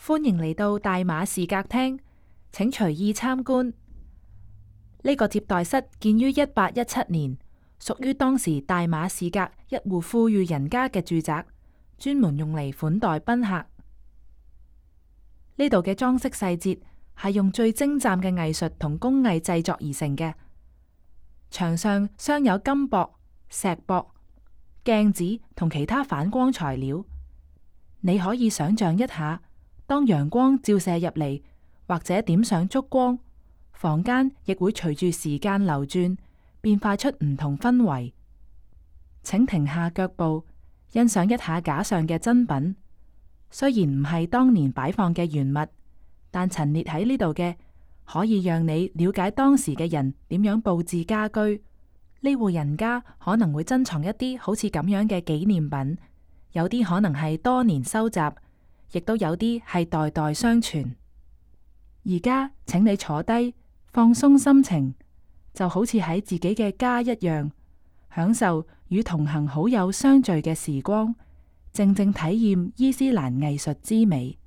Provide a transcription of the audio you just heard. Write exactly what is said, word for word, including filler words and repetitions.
歡迎嚟到大馬士革廳，請隨意參觀。呢個接待室建於一八一七年，屬於當時大馬士革一戶富裕人家嘅住宅，專門用嚟款待賓客。呢度嘅裝飾細節係用最精湛嘅藝術同工藝製作而成嘅，牆上鑲有金箔、石箔、鏡子同其他反光材料。你可以想象一下，當陽光照射入嚟，或者點上燭光，房間亦會隨住時間流轉，變化出唔同氛圍。請停下腳步，欣賞一下架上嘅珍品。雖然唔係當年擺放嘅原物，但陳列喺呢度嘅，可以讓你了解當時嘅人點樣佈置家居。呢戶人家可能會珍藏一啲好似咁樣嘅紀念品，有啲可能係多年收集，亦都有啲係代代相傳。而家請你坐低，放鬆心情，就好似喺自己嘅家一樣，享受與同行好友相聚嘅時光，靜靜體驗伊斯蘭藝術之美。